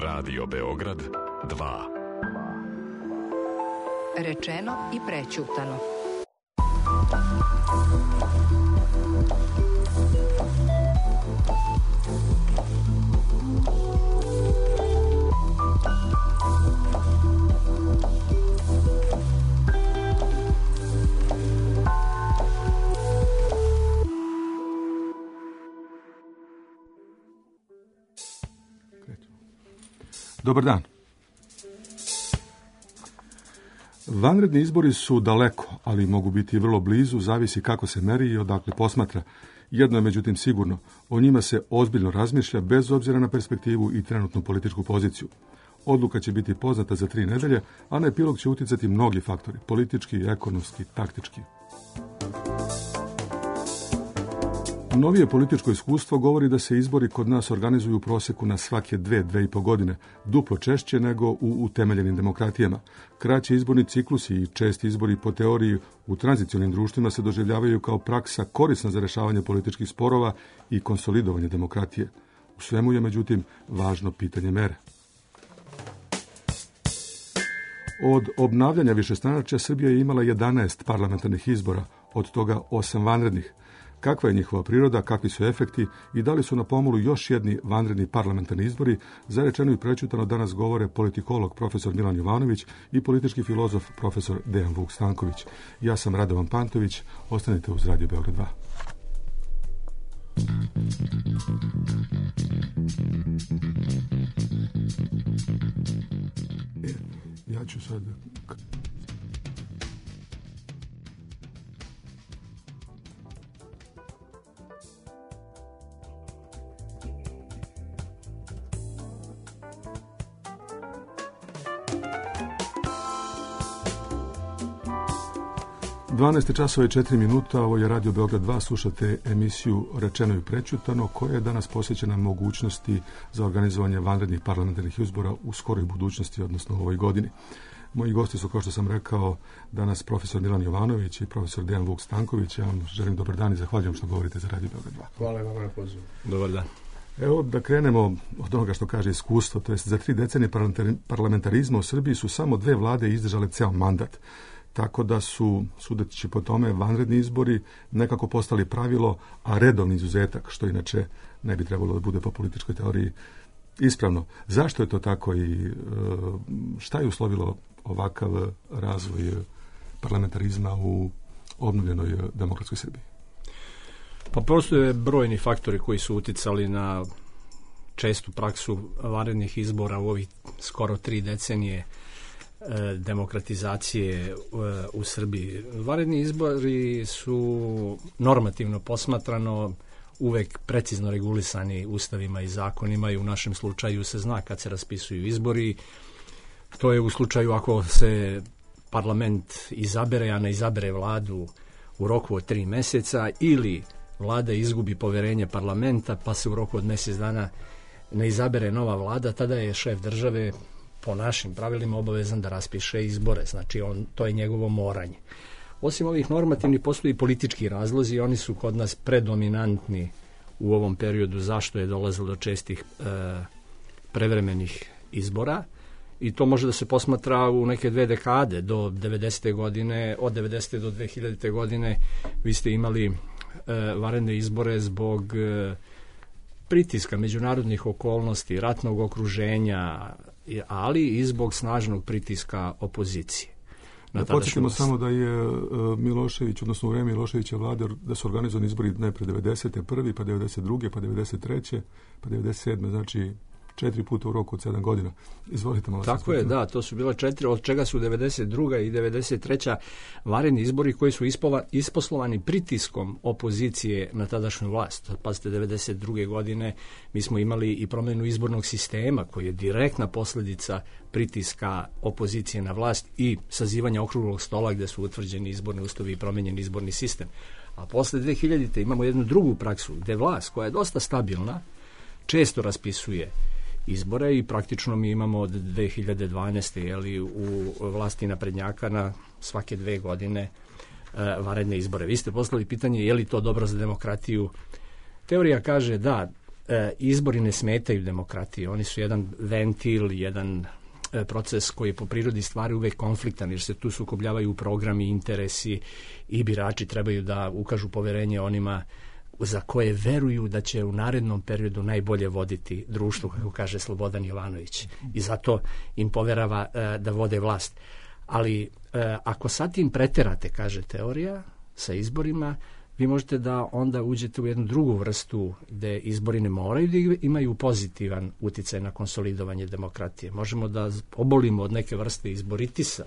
Radio Beograd 2. Rečeno i prećutano. Dobar dan. Vanredni izbori su daleko, ali mogu biti vrlo blizu, zavisi kako se meri i odakle posmatra. Jedno je međutim sigurno, o njima se ozbiljno razmišlja bez obzira na perspektivu i trenutnu političku poziciju. Odluka će biti poznata za 3 nedelje, a na epilog će uticati mnogi faktori, politički, ekonomski, taktički. Novije političko iskustvo govori da se izbori kod nas organizuju u prosjeku na svake 2,5 godine, duplo češće nego u utemeljenim demokratijama. Kraći izborni ciklusi i česti izbori po teoriji u tranzicionim društvima se doživljavaju kao praksa korisna za rješavanje političkih sporova i konsolidovanje demokratije. U svemu je, međutim, važno pitanje mere. Od obnavljanja višestranačja Srbija je imala 11 parlamentarnih izbora, od toga 8 vanrednih. Kakva je njihova priroda, kakvi su efekti i da li su na pomolu još jedni vanredni parlamentarni izbori, za rečeno i prećutano danas govore politikolog profesor Milan Jovanović i politički filozof profesor Dejan Vuk Stanković. Ja sam Radovan Pantović, ostanite uz Radio Beograd 2. Ja ću sad... 12 časova i 4 minuta, ovo je Radio Beograd 2, slušate emisiju Rečeno i prećutano, koja je danas posvećena mogućnosti za organizovanje vanrednih parlamentarnih izbora u skoroj budućnosti, odnosno u ovoj godini. Moji gosti su, kao što sam rekao, danas profesor Milan Jovanović i profesor Dejan Vuk Stanković. Ja vam želim dobar dan i zahvaljujem što govorite za Radio Beograd 2. Hvala vam na pozivu. Dobar dan. Evo da krenemo od onoga što kaže iskustvo, to jest za 3 decenije parlamentarizma u Srbiji su samo 2 vlade izdržale ceo mandat. Tako da su, sudeći po tome, vanredni izbori nekako postali pravilo, a redovni izuzetak, što inače ne bi trebalo da bude po političkoj teoriji ispravno. Zašto je to tako i šta je uslovilo ovakav razvoj parlamentarizma u obnovljenoj demokratskoj Srbiji? Pa postoje brojni faktori koji su uticali na čestu praksu vanrednih izbora u ovih skoro 3 decenije demokratizacije u Srbiji. Vanredni izbori su normativno posmatrano uvek precizno regulisani ustavima i zakonima i u našem slučaju se zna kad se raspisuju izbori. To je u slučaju ako se parlament izabere, a ne izabere vladu u roku od 3 meseca ili vlada izgubi poverenje parlamenta pa se u roku od mjesec dana ne izabere nova vlada, tada je šef države po našim pravilima obavezan da raspiše izbore, znači to je njegovo moranje. Osim ovih normativnih postoji i politički razlozi, oni su kod nas predominantni u ovom periodu zašto je dolazilo do čestih prevremenih izbora i to može da se posmatra u neke 2 dekade do 90. godine, od 90. do 2000. godine vi ste imali vanredne izbore zbog pritiska međunarodnih okolnosti, ratnog okruženja, ali i zbog snažnog pritiska opozicije. Da podsjetimo samo da je Milošević, odnosno u vreme Miloševića vlade, da su organizovani izbori najpre 90. prvi, pa 92. pa 93. pa 97. znači 4 puta u roku od 7 godina. Izvolite malo. Tako je, da, to su bila 4, od čega su 92. i 93. vanredni izbori koji su isposlovani pritiskom opozicije na tadašnju vlast. Pazite, 92. godine mi smo imali i promjenu izbornog sistema koji je direktna posljedica pritiska opozicije na vlast i sazivanja okruglog stola gdje su utvrđeni izborni uslovi i promijenjen izborni sistem. A posle 2000. imamo jednu drugu praksu gdje vlast koja je dosta stabilna često raspisuje izbore i praktično mi imamo od 2012. U vlasti naprednjaka na svake 2 godine vanredne izbore. Vi ste poslali pitanje je li to dobro za demokratiju. Teorija kaže da izbori ne smetaju demokratiji. Oni su jedan ventil, jedan proces koji je po prirodi stvari uvek konfliktan, jer se tu sukobljavaju programi, interesi i birači trebaju da ukažu poverenje onima za koje veruju da će u narednom periodu najbolje voditi društvo, kako kaže Slobodan Jovanović. I zato im poverava da vode vlast. Ali ako sad tim preterate, kaže teorija, sa izborima, vi možete da onda uđete u jednu drugu vrstu gde izbori ne moraju da imaju pozitivan uticaj na konsolidovanje demokratije. Možemo da obolimo od neke vrste izboritisa,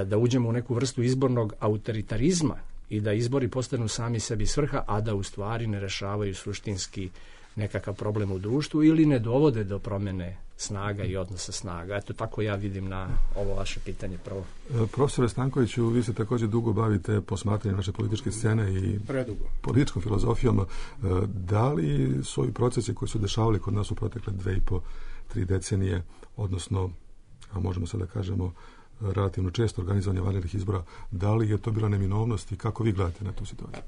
da uđemo u neku vrstu izbornog autoritarizma i da izbori postanu sami sebi svrha, a da u stvari ne rešavaju suštinski nekakav problem u društvu ili ne dovode do promene snaga i odnosa snaga. Eto, tako ja vidim na ovo vaše pitanje prvo. Profesore Stankoviću, vi se također dugo bavite posmatranjem naše političke scene i političkom filozofijom. Da li su ovi procesi koji su dešavali kod nas u protekle 2,5-3 decenije, odnosno, a možemo sad da kažemo, relativno često organizovanje vanrednih izbora, da li je to bila neminovnost i kako vi gledate na tu situaciju?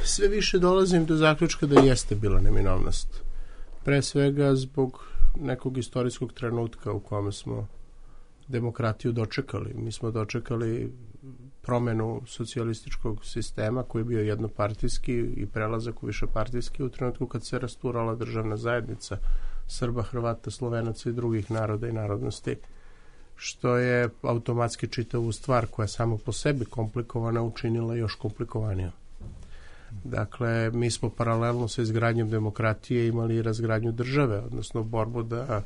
Sve više dolazim do zaključka da jeste bila neminovnost. Pre svega zbog nekog istorijskog trenutka u kome smo demokratiju dočekali. Mi smo dočekali promenu socijalističkog sistema koji je bio jednopartijski i prelazak u višepartijski u trenutku kad se rasturala državna zajednica Srba, Hrvata, Slovenaca i drugih naroda i narodnosti, što je automatski čitavu stvar koja je samo po sebi komplikovana učinila još komplikovanijom. Dakle, mi smo paralelno sa izgradnjom demokratije imali i razgradnju države, odnosno borbu da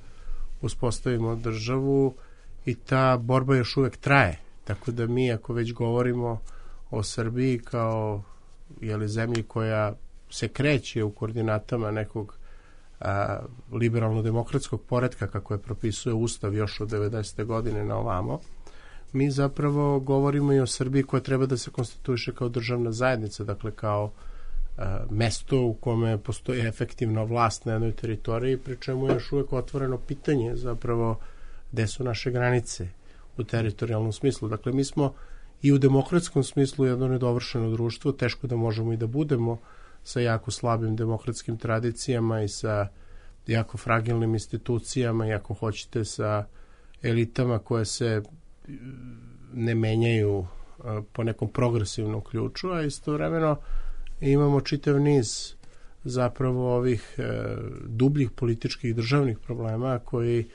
uspostavimo državu i ta borba još uvek traje. Tako da mi, ako već govorimo o Srbiji kao zemlji koja se kreće u koordinatama nekog liberalno-demokratskog poretka, kako je propisuje Ustav još od 90. godine na ovamo, mi zapravo govorimo i o Srbiji koja treba da se konstituiše kao državna zajednica, dakle kao mesto u kome postoji efektivna vlast na jednoj teritoriji, pri čemu je još uvek otvoreno pitanje zapravo gde su naše granice u teritorijalnom smislu. Dakle, mi smo i u demokratskom smislu jedno nedovršeno društvo, teško da možemo i da budemo sa jako slabim demokratskim tradicijama i sa jako fragilnim institucijama i ako hoćete sa elitama koje se ne menjaju po nekom progresivnom ključu, a istovremeno imamo čitav niz zapravo ovih dubljih političkih državnih problema koji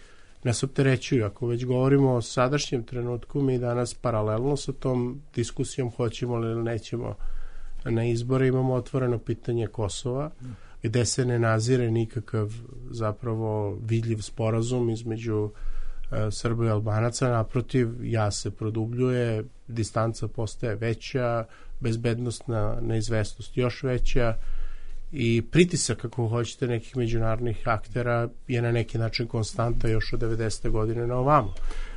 nas opterećuju. Ako već govorimo o sadašnjem trenutku, mi danas paralelno sa tom diskusijom hoćemo li ili nećemo na izbore, imamo otvoreno pitanje Kosova, gde se ne nazire nikakav zapravo vidljiv sporazum između Srba i Albanaca, naprotiv, jaz se produbljuje, distanca postaje veća, bezbednostna neizvesnost još veća i pritisak, ako hoćete, nekih međunarodnih aktera je na neki način konstanta još od 90. godine na ovamo.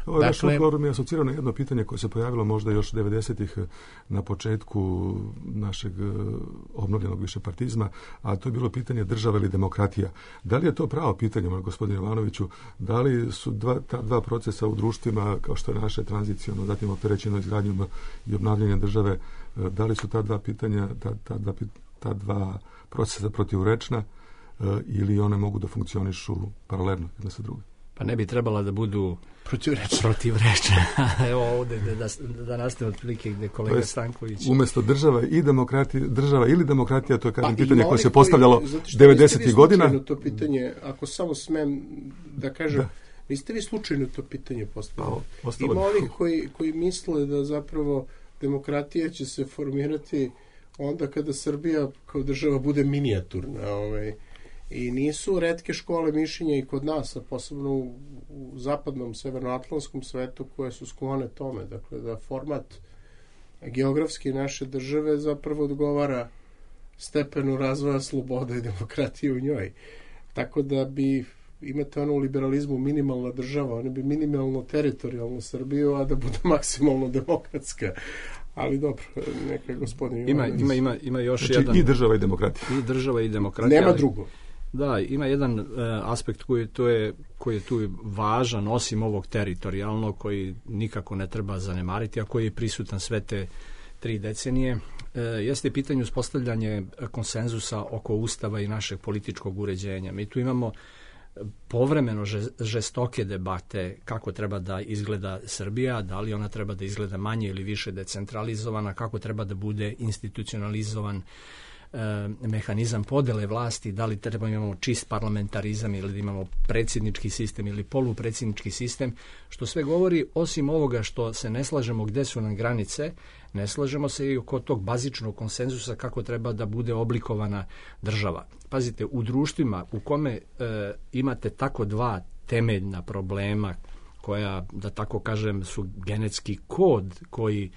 Ovo je odgovor mi je asocirao na jedno pitanje koje se pojavilo možda još 90-ih na početku našeg obnovljenog višepartizma, a to je bilo pitanje država ili demokratija. Da li je to pravo pitanje, gospodine Jovanoviću, da li su ta dva procesa u društvima, kao što je naše tranziciono, zatim opterećeno izgradnjom i obnavljanjem države, da li su ta dva pitanja, ta dva procesa protivrečna ili one mogu da funkcionišu paralelno jedna sa drugim? Pa ne bi trebala da budu protivrečne. Evo ovde da nastane otprilike gde kolega Stanković. Umesto država ili demokratija, to je kažem pitanje koje se postavljalo 90. godina. To pitanje, ako samo smem da kažem, niste vi slučajno to pitanje postavili. Ima ovih koji misle da zapravo demokratija će se formirati onda kada Srbija kao država bude minijaturna. I nisu retke škole mišljenja i kod nas, a posebno u zapadnom severnoatlantskom svetu koje su sklone tome. Dakle, da format geografski naše države zapravo odgovara stepenu razvoja slobode i demokratije u njoj. Tako da bi imate u liberalizmu minimalna država, oni bi minimalno teritorijalnu Srbiju, a da bude maksimalno demokratska. Ali dobro, neka gospodin ima još znači, jedan... i država i demokratija. I država i demokratija. Nema drugo. Da, ima jedan aspekt koji je tu važan, osim ovog teritorijalnog, koji nikako ne treba zanemariti, a koji je prisutan sve te 3 decenije. jeste pitanje uspostavljanje konsenzusa oko Ustava i našeg političkog uređenja. Mi tu imamo povremeno žestoke debate kako treba da izgleda Srbija, da li ona treba da izgleda manje ili više decentralizovana, kako treba da bude institucionalizovan mehanizam podele vlasti, da li treba imamo čist parlamentarizam ili da imamo predsjednički sistem ili polupredsjednički sistem, što sve govori, osim ovoga što se ne slažemo gde su nam granice, ne slažemo se i oko tog bazičnog konsenzusa kako treba da bude oblikovana država. Pazite, u društvima u kome imate tako dva temeljna problema koja, da tako kažem, su genetski kod koji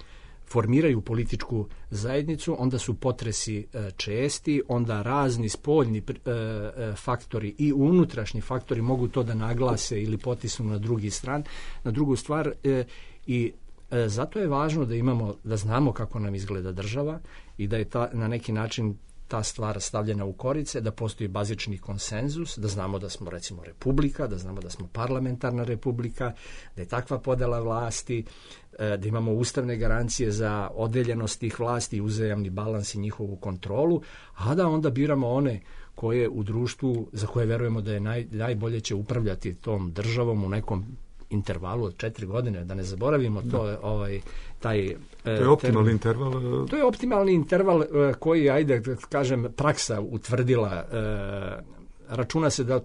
formiraju političku zajednicu, onda su potresi česti, onda razni spoljni faktori i unutrašnji faktori mogu to da naglase ili potisnu na drugu stvar i zato je važno da znamo kako nam izgleda država i da je na neki način ta stvar stavljena u korice, da postoji bazični konsenzus, da znamo da smo recimo republika, da znamo da smo parlamentarna republika, da je takva podela vlasti, da imamo ustavne garancije za odeljenost tih vlasti i uzajamni balans i njihovu kontrolu, a da onda biramo one koje u društvu, za koje verujemo da je najbolje će upravljati tom državom u nekom intervalu od 4 godine, da ne zaboravimo to, to je optimalni interval. To je optimalni interval koji, ajde kažem, praksa utvrdila. Računa se da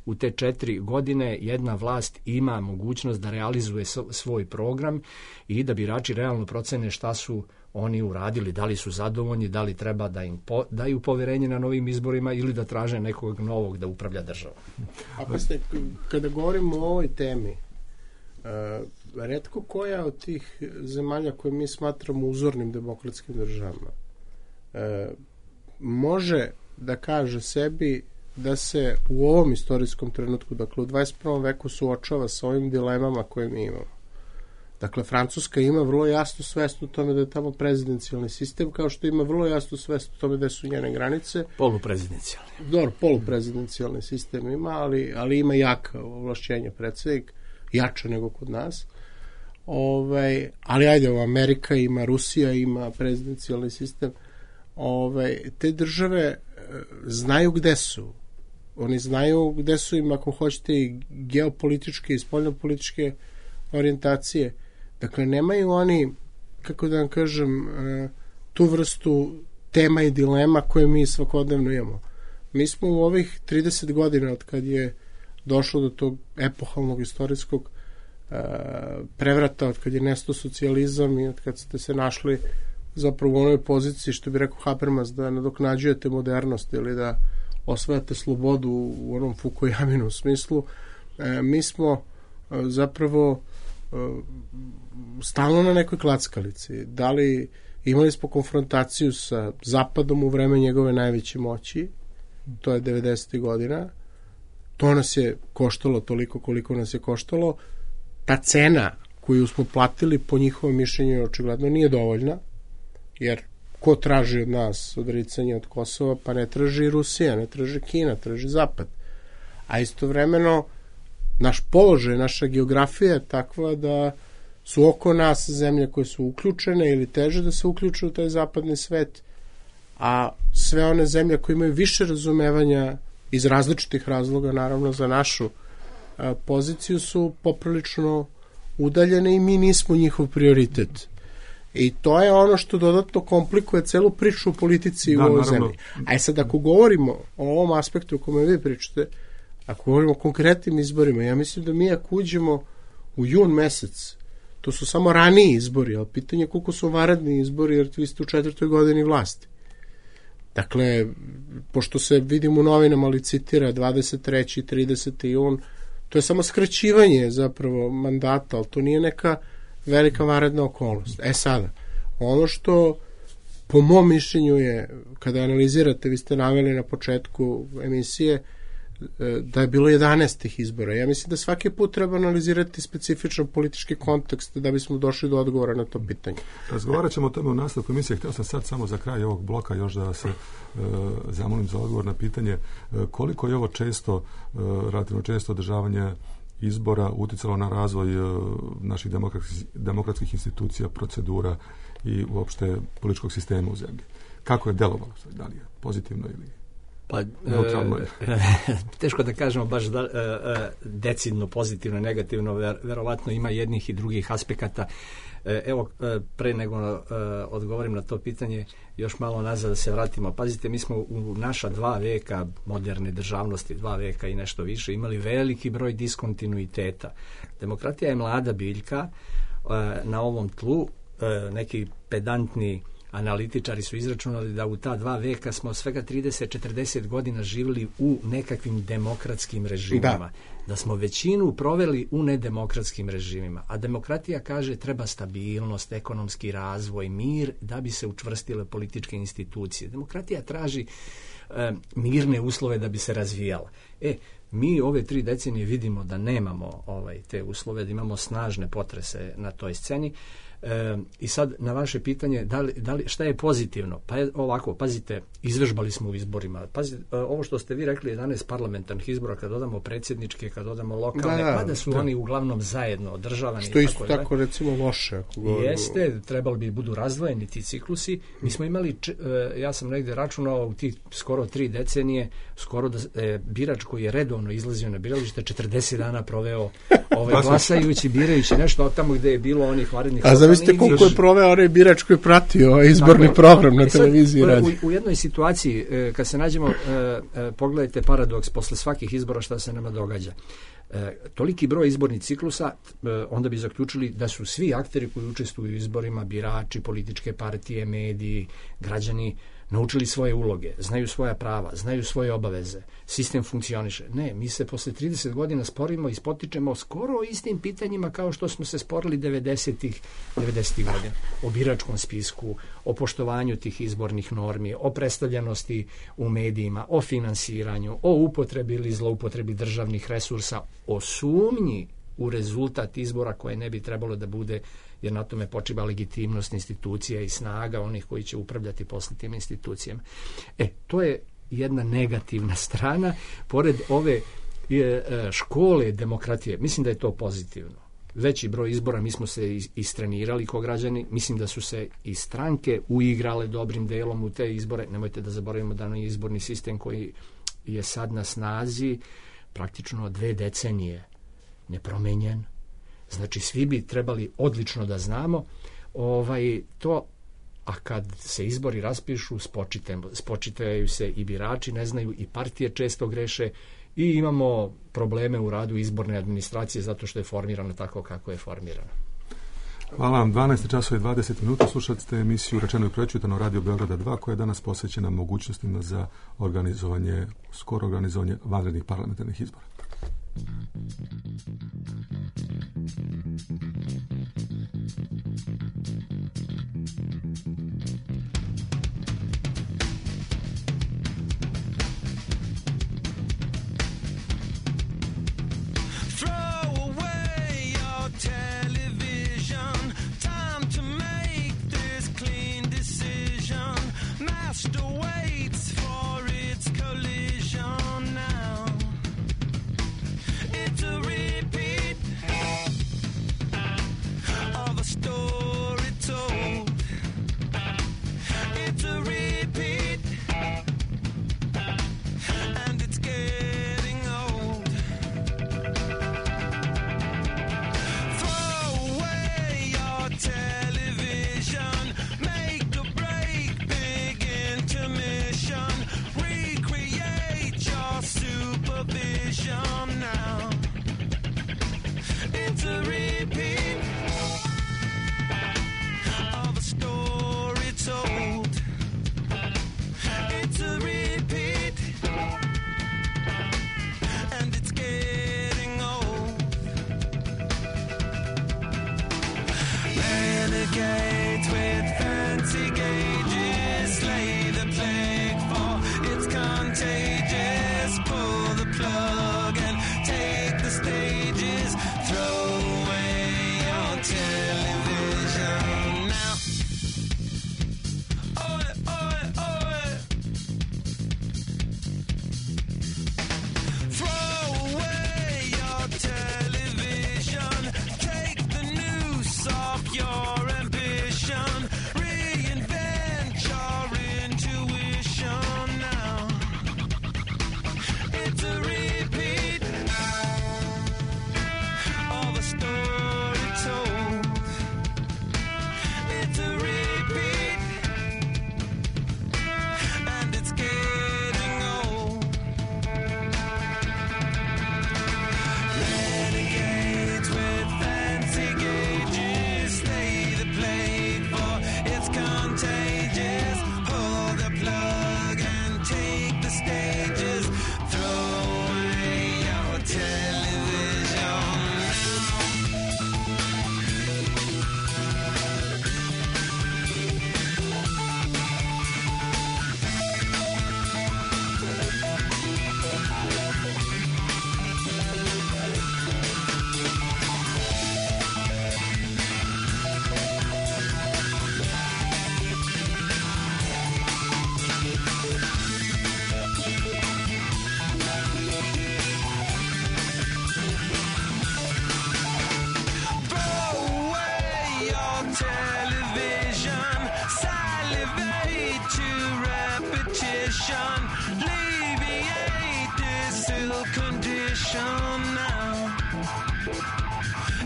u te 4 godine jedna vlast ima mogućnost da realizuje svoj program i da birači realno procene šta su oni uradili, da li su zadovoljni, da li treba da im daju poverenje na novim izborima ili da traže nekog novog da upravlja državom. Kada govorimo o ovoj temi, retko koja od tih zemalja koje mi smatramo uzornim demokratskim državama može da kaže sebi da se u ovom istorijskom trenutku, dakle u 21. veku suočava sa ovim dilemama koje mi imamo. Dakle, Francuska ima vrlo jasnu svest u tome da je tamo prezidencijalni sistem, kao što ima vrlo jasnu svest u tome da su njene granice. Poluprezidencijalni. Dobro, poluprezidencijalni sistem ima, ali ima jaka ovlašćenja predsjednik, jača nego kod nas. Ali ajde, Amerika ima, Rusija ima prezidencijalni sistem. Te države znaju gde su. Oni znaju gde su im, ako hoćete, i geopolitičke i spoljnopolitičke orijentacije. Dakle, nemaju oni, kako da vam kažem, tu vrstu tema i dilema koje mi svakodnevno imamo. Mi smo u ovih 30 godina od kad je došlo do tog epohalnog istorijskog prevrata, od kad je nestao socijalizam i od kad ste se našli zapravo u onoj poziciji, što bi rekao Habermas, da nadoknađujete modernost ili da osvajate slobodu u onom Fukuyaminom smislu, mi smo zapravo stalno na nekoj klackalici. Da li imali smo konfrontaciju sa Zapadom u vreme njegove najveće moći, to je 90. godina, to nas je koštalo toliko koliko nas je koštalo, ta cena koju smo platili po njihovom mišljenju očigledno nije dovoljna, jer ko traži od nas odricanje od Kosova, pa ne traži Rusija, ne traži Kina, traži Zapad. A istovremeno naš položaj, naša geografija je takva da su oko nas zemlje koje su uključene ili teže da se uključuju u taj zapadni svet, a sve one zemlje koje imaju više razumevanja iz različitih razloga, naravno za našu poziciju, su poprilično udaljene i mi nismo njihov prioritet. I to je ono što dodatno komplikuje celu priču u politici u ovoj zemlji. A sad, ako govorimo o ovom aspektu o kome vi pričate, ako govorimo o konkretnim izborima, ja mislim da mi ako uđemo u jun mesec, to su samo raniji izbori, ali pitanje je koliko su vanredni izbori, jer vi ste u 4. godini vlasti. Dakle, pošto se vidim u novinama licitira 23. i 30. jun, to je samo skraćivanje zapravo mandata, ali to nije neka velika vanredna okolnost. Sada, ono što po mom mišljenju je, kada analizirate, vi ste naveli na početku emisije da je bilo 11 izbora. Ja mislim da svaki put treba analizirati specifičan politički kontekst da bismo došli do odgovora na to pitanje. Razgovarat ćemo o tome u nastavku emisije. Htio sam sad samo za kraj ovog bloka još da se zamolim za odgovor na pitanje koliko je ovo često, relativno često održavanje izbora utjecalo na razvoj naših demokratskih institucija, procedura i uopšte političkog sistema u zemlji? Kako je delovalo? Da li je pozitivno ili neutralno? Teško da kažemo baš decidno, pozitivno, negativno, verovatno ima jednih i drugih aspekata. Evo, pre nego odgovorim na to pitanje, još malo nazad da se vratimo. Pazite, mi smo u naša 2 veka moderne državnosti, 2 veka i nešto više, imali veliki broj diskontinuiteta. Demokratija je mlada biljka na ovom tlu. Neki pedantni analitičari su izračunali da u ta 2 veka smo svega 30-40 godina živjeli u nekakvim demokratskim režimima. Da smo većinu proveli u nedemokratskim režimima. A demokratija kaže treba stabilnost, ekonomski razvoj, mir da bi se učvrstile političke institucije. Demokratija traži mirne uslove da bi se razvijala. Mi ove 3 decenije vidimo da nemamo te uslove, da imamo snažne potrese na toj sceni. I sad na vaše pitanje šta je pozitivno? Pa je ovako, pazite, izvežbali smo u izborima. Pazite, ovo što ste vi rekli, 11 parlamentarnih izbora, kad dodamo predsjedničke, kad dodamo lokalne, da su oni uglavnom zajedno održavani. Što isto tako recimo loše. Jeste, trebali bi budu razdvojeni ti ciklusi. Mi smo imali, ja sam negdje računao u tih skoro 3 decenije, skoro da birač koji je redovno izlazio na biralište 40 dana proveo glasajući, birajući nešto tamo gdje je bilo onih varednih. A zavisite koliko je proveo onaj birač koji je pratio izborni program na televiziji. U jednoj situaciji, kad se nađemo, pogledajte paradoks, posle svakih izbora šta se nama događa. Toliki broj izbornih ciklusa, onda bi zaključili da su svi akteri koji učestvuju u izborima, birači, političke partije, mediji, građani, naučili svoje uloge, znaju svoja prava, znaju svoje obaveze, sistem funkcioniše. Ne, mi se posle 30 godina sporimo i spotičemo skoro o istim pitanjima kao što smo se sporili 90-ih godina. O biračkom spisku, o poštovanju tih izbornih normi, o predstavljenosti u medijima, o finansiranju, o upotrebi ili zloupotrebi državnih resursa, o sumnji u rezultat izbora koje ne bi trebalo da bude, jer na tome počiva legitimnost institucija i snaga onih koji će upravljati posle tim institucijama. To je jedna negativna strana. Pored ove škole demokratije, mislim da je to pozitivno. Veći broj izbora, mi smo se istrenirali kao građani, mislim da su se i stranke uigrale dobrim delom u te izbore. Nemojte da zaboravimo da je izborni sistem koji je sad na snazi praktično 2 decenije nepromenjen. Znači, svi bi trebali odlično da znamo to, a kad se izbori raspišu, spočitaju se i birači, ne znaju, i partije često greše i imamo probleme u radu izborne administracije zato što je formirano tako kako je formirano. Hvala vam. 12:20 slušate ste emisiju Rečeno i prečutano Radio Beograda 2 koja je danas posvećena mogućnostima za skoro organizovanje vanrednih parlamentarnih izbora. Throw away your television. television, salivate to repetition, alleviate this ill condition now.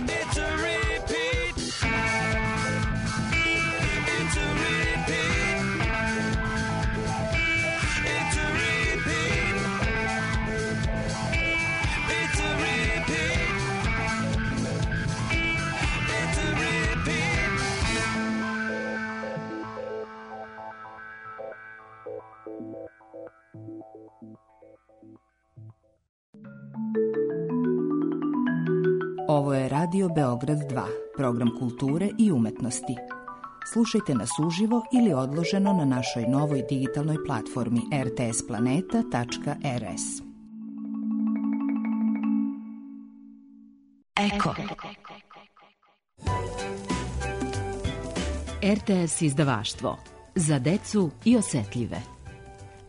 It's a repeat. It's a repeat. It's a repeat. It's a repeat. It's a repeat. Ovo je Radio Beograd 2, program kulture i umetnosti. Slušajte nas uživo ili odloženo na našoj novoj digitalnoj platformi rtsplaneta.rs. Eko. RTS izdavaštvo. Za decu i osetljive.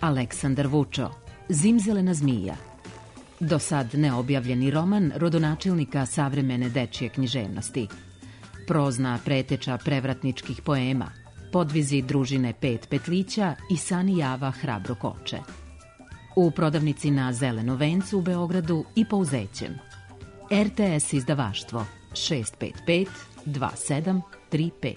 Aleksandar Vučo. Zimzelena zmija. Do sad neobjavljeni roman rodonačelnika savremene dečje književnosti. Prozna preteča prevratničkih poema, podvizi družine Pet petlića i Sani Java hrabro koče. U prodavnici na Zeleno vencu u Beogradu i Pouzećem. RTS izdavaštvo 655 2735.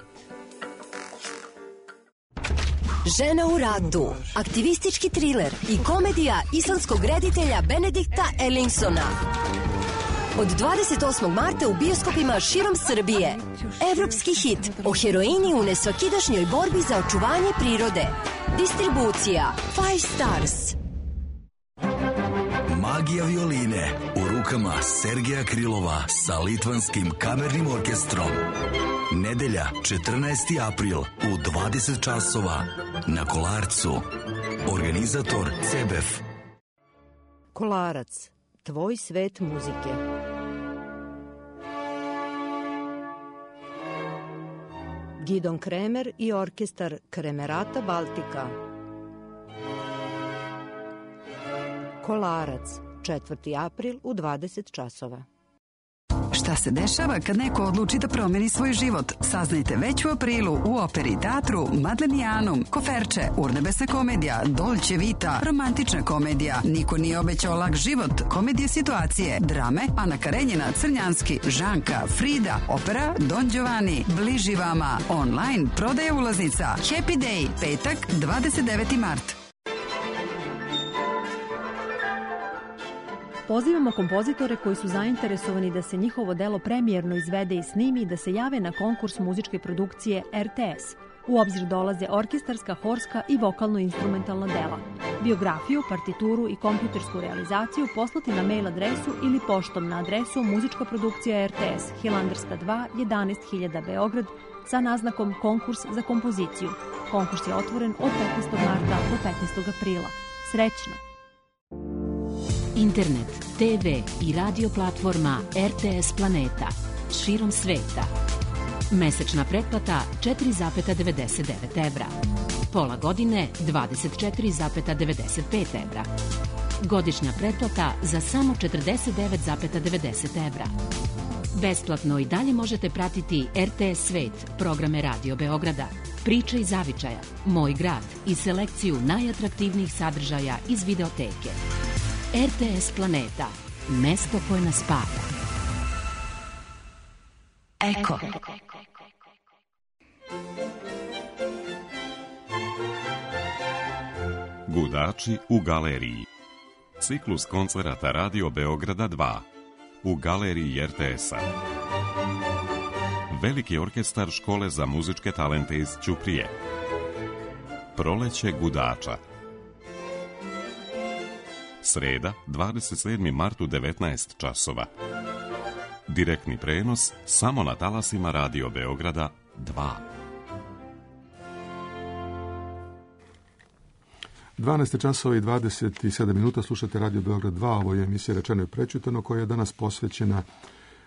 Žena u ratu, aktivistički triler i komedija islandskog reditelja Benedikta Erlingsona. Od 28. marta u bioskopima širom Srbije. Evropski hit o heroini u nesvakidašnjoj borbi za očuvanje prirode. Distribucija 5 Stars. Magija violine u rukama Sergeja Krilova sa Litvanskim kamernim orkestrom. Nedelja, 14. april u 20 časova na Kolarcu. Organizator CEBEF. Kolarac, tvoj svet muzike. Gidon Kremer i orkestar Kremerata Baltika. Kolarac, 4. april u 20 časova. Šta se dešava kad neko odluči da promeni svoj život? Saznajte već u aprilu u Operi teatru Madlenijanum, Koferče, urnebesna komedija, Dolce Vita, romantična komedija, Niko nije obećao lak život, komedije situacije, drame, Ana Karenjina, Crnjanski, Žanka, Frida, opera Don Giovanni, bliži vama, online, prodaja ulaznica, Happy Day, petak, 29. mart. Pozivamo kompozitore koji su zainteresovani da se njihovo delo premijerno izvede i snimi i da se jave na konkurs muzičke produkcije RTS. U obzir dolaze orkestarska, horska i vokalno-instrumentalna dela. Biografiju, partituru i kompjutersku realizaciju poslati na mail adresu ili poštom na adresu muzička produkcija RTS, Hilandarska 2, 11.000 Beograd, sa naznakom konkurs za kompoziciju. Konkurs je otvoren od 15. marta do 15. aprila. Srećno! Internet, TV i radio platforma RTS Planeta širom sveta. Mesečna pretplata 4,99 evra. Pola godine 24,95 evra. Godišnja pretplata za samo 49,90 evra. Besplatno i dalje možete pratiti RTS Svet, programe Radio Beograda, Priče iz zavičaja, Moj grad i selekciju najatraktivnijih sadržaja iz videoteke. RTS Planeta, mesto koje nas spaja. Eko. Gudači u galeriji. Ciklus koncerata Radio Beograda 2 u galeriji RTS-a. Veliki orkestar škole za muzičke talente iz Ćuprije. Proleće gudača. Sreda, 27. mart u 19 časova. Direktni prenos samo na talasima Radio Beograda 2. 12 časova i 27 minuta slušate Radio Beograd 2, ovo je emisija Rečeno i prečutano koja je danas posvećena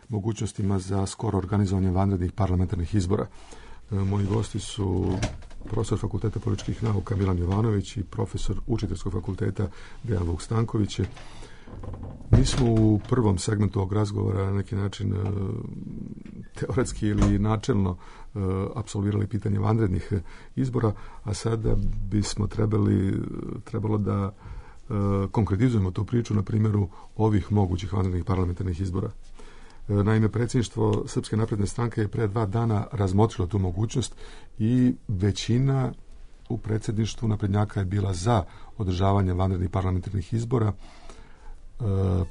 mogućnostima za skoro organizovanje vanrednih parlamentarnih izbora. Moji gosti su profesor Fakulteta političkih nauka Milan Jovanović i profesor Učiteljskog fakulteta Dejan Vuk Stanković. Mi smo u prvom segmentu ovog razgovora na neki način teoretski ili načelno apsolvirali pitanje vanrednih izbora, a sada bismo trebalo da konkretizujemo tu priču na primjeru ovih mogućih vanrednih parlamentarnih izbora. Naime, predsjedništvo Srpske napredne stranke je pre 2 dana razmotrilo tu mogućnost i većina u predsjedništvu naprednjaka je bila za održavanje vanrednih parlamentarnih izbora.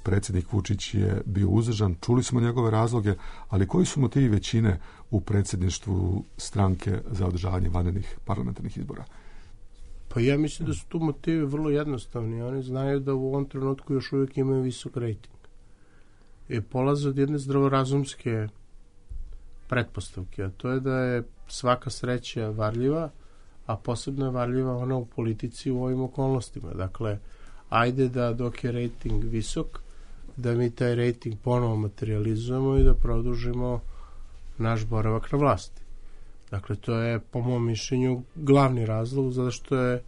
Predsjednik Vučić je bio uzdržan, čuli smo njegove razloge, ali koji su motivi većine u predsjedništvu stranke za održavanje vanrednih parlamentarnih izbora? Pa ja mislim da su tu motivi vrlo jednostavni. Oni znaju da u ovom trenutku još uvijek imaju visok rejting. I polaze od jedne zdravorazumske pretpostavke, a to je da je svaka sreća varljiva, a posebno je varljiva ona u politici u ovim okolnostima. Dakle, ajde da dok je rejting visok, da mi taj rejting ponovo materializujemo i da produžimo naš boravak na vlasti. Dakle, to je po mom mišljenju glavni razlog, zato što je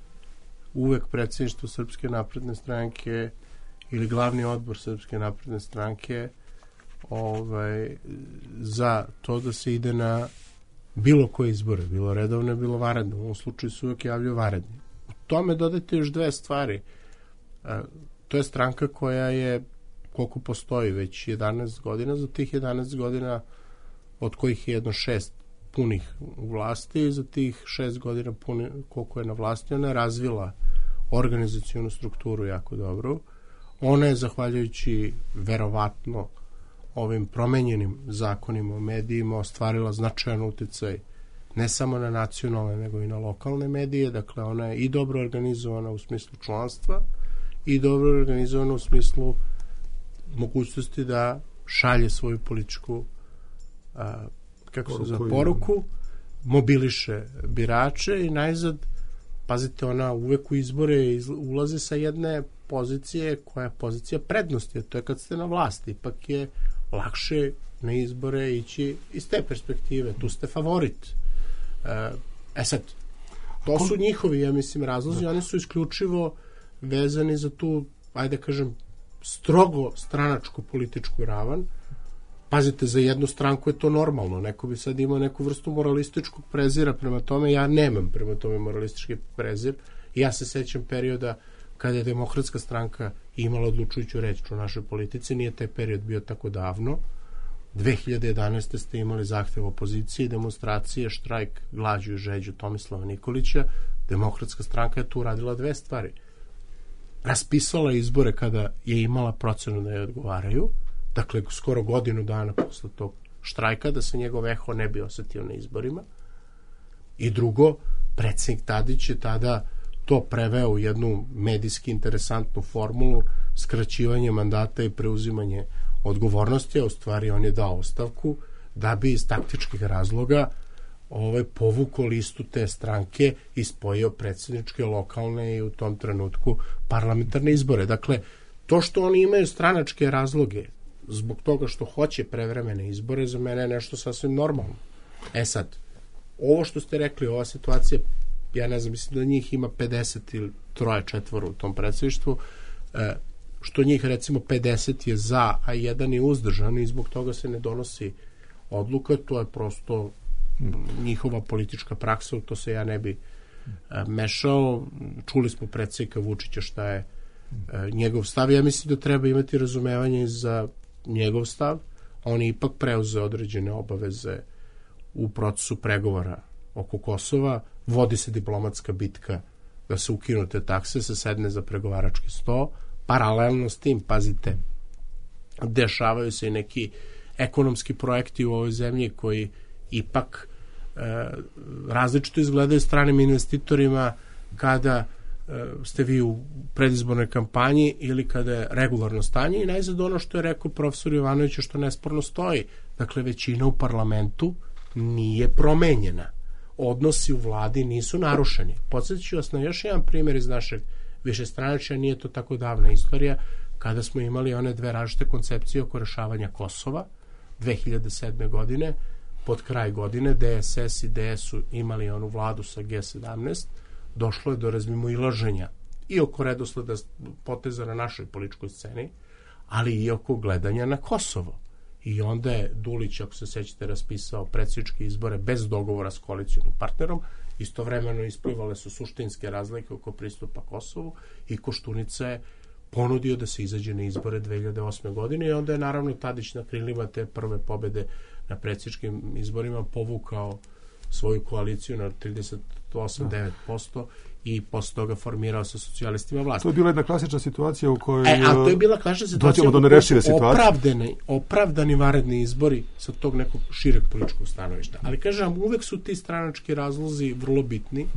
uvek predsjedništvo Srpske napredne stranke ili glavni odbor Srpske napredne stranke za to da se ide na bilo koje izbore, bilo redovne, bilo vanredne. U ovom slučaju se uvek javljaju vanredni. U tome dodajte još 2 stvari. To je stranka koja je, koliko postoji, već 11 godina, za tih 11 godina od kojih je jedno 6 punih u vlasti i za tih 6 godina koliko je na vlasti, ona je razvila organizacionu strukturu jako dobro. Ona je, zahvaljujući verovatno ovim promenjenim zakonima o medijima, ostvarila značajan uticaj ne samo na nacionalne, nego i na lokalne medije. Dakle, ona je i dobro organizovana u smislu članstva i dobro organizovana u smislu mogućnosti da šalje svoju političku poruku, mobiliše birače i najzad, pazite, ona uvek u izbore ulazi sa jedne pozicije koja je pozicija prednosti, a to je kad ste na vlasti. Ipak je lakše na izbore ići iz te perspektive. Tu ste favorit. Sad, to su njihovi, ja mislim, razlozi. Oni su isključivo vezani za tu, ajde kažem, strogo stranačku političku ravan. Pazite, za jednu stranku je to normalno. Neko bi sad imao neku vrstu moralističkog prezira prema tome. Ja nemam prema tome moralistički prezir. Ja se sećam perioda kada je Demokratska stranka imala odlučujuću reč u našoj politici. Nije taj period bio tako davno. 2011. ste imali zahtev opozicije, demonstracije, štrajk, glađu i žeđu Tomislava Nikolića. Demokratska stranka je tu radila 2 stvari. Raspisala izbore kada je imala procenu da je odgovaraju, dakle skoro godinu dana posle tog štrajka, da se njegov eho ne bi osetio na izborima. I drugo, predsjednik Tadić je tada to preveo u jednu medijski interesantnu formulu, skraćivanje mandata i preuzimanje odgovornosti, a u stvari on je dao ostavku da bi iz taktičkih razloga povukao listu te stranke i spojio predsjedničke, lokalne i u tom trenutku parlamentarne izbore. Dakle, to što oni imaju stranačke razloge zbog toga što hoće prevremene izbore, za mene je nešto sasvim normalno. Sad, ovo što ste rekli, ova situacija, ja ne znam, mislim da njih ima 50 ili 3-4 u tom predsjedništvu, što njih recimo 50 je za, a 1 je uzdržan i zbog toga se ne donosi odluka, to je prosto njihova politička praksa, u to se ja ne bi mešao. Čuli smo predsjednika Vučića šta je njegov stav. Ja mislim da treba imati razumevanje za njegov stav. On je ipak preuzeo određene obaveze u procesu pregovora oko Kosova. Vodi se diplomatska bitka da se ukinu te takse, se sedne za pregovarački sto. Paralelno s tim, pazite, dešavaju se i neki ekonomski projekti u ovoj zemlji koji ipak različito izgledaju stranim investitorima kada ste vi u predizbornoj kampanji ili kada je regularno stanje. I najzad ono što je rekao profesor Jovanović, što nesporno stoji. Dakle, većina u parlamentu nije promenjena. Odnosi u vladi nisu narušeni. Podsjetit ću vas na još jedan primjer iz našeg višestranačja, nije to tako davna istorija, kada smo imali one 2 različite koncepcije oko rešavanja Kosova 2007. godine. Pod kraj godine DSS i DS su imali onu vladu sa G17, došlo je do razmimoilaženja i oko redosleda poteza na našoj političkoj sceni, ali i oko gledanja na Kosovo. I onda je Dulić, ako se sećate, raspisao predsjedničke izbore bez dogovora s koalicionim partnerom. Istovremeno isplivale su suštinske razlike oko pristupa Kosovu i Koštunica je ponudio da se izađe na izbore 2008. godine i onda je naravno Tadić na krilima te prve pobede na predsjedničkim izborima povukao svoju koaliciju na 38-9% i posle toga formirao sa socijalistima vlast. To je bila jedna klasična situacija u kojoj... a to je bila klasična situacija do nerešive situacije. Opravdani vanredni izbori sa tog nekog šireg političkog stanovišta. Ali kažem, uvek su ti stranački razlozi vrlo bitni